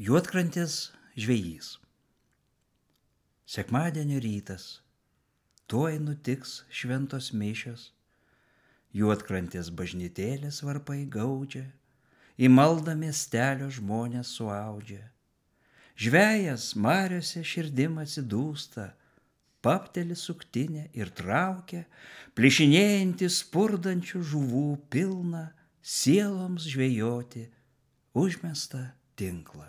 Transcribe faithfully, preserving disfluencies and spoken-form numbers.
Juodkrantės žvejys. Sekmadienio rytas, tuoj nutiks šventos mišios, Juodkrantės bažnytėlės varpai gaudžia, į maldą miestelio žmonės suaudžia. Žvejas mariose širdim atsidūsta, papteli suktinę ir traukia, plyšinėjantį spurdančių žuvų pilną, sieloms žvejoti užmestą tinklą.